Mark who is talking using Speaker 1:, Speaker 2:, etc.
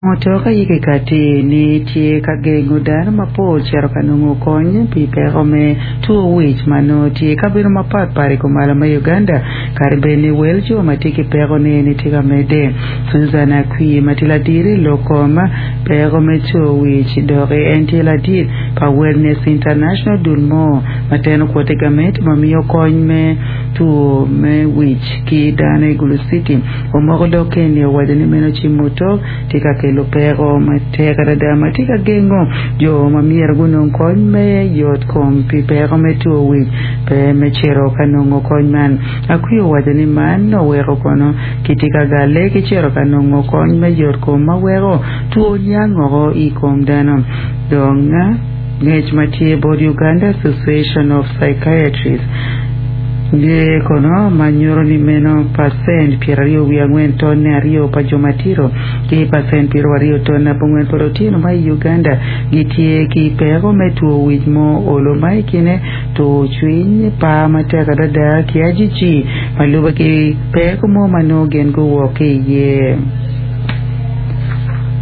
Speaker 1: Mutoka aye kikati ni tye ka gengo dano mapol cito ka nongo kony pi peko me two wic ma nongo tye i kabedo mapat pat i kumalo me Uganda kadi bed ni wel jo ma tye ki peko ni eni tye ka medde. Susan Akwi ma tye ladiro i lok kom peko me two wic doki en tye ladit pa Wellness International dul mo ma teno kwote gameti ma miyo kony me two me wic ki dano i Gulu City. Omoko lok eni owaco ni meno cim muto tye ka kelo peko matek adada ma tye ka gengo jo ma myero gunong kony me yot kom pi peko me two wic pe me cito ka nongo kony man. Akwi owaco ni man oweko kono kitye ka galle ki cito ka nongo kony me yot kom ma weko two niang oko i kom dano. Dong ngec ma tye bot Uganda Association of Psychiatrists nge kono ma nyuto ni meno pacent 24 tonne aryo pa jo matito ki pacent 20 tonne abongwen pa lutino ma i Uganda gitye ki peko me two wic mo olo ma i kine tur cwiny, par matek adada ki ajiji ma lube ki peko mo ma nongo gin guwok ki iye.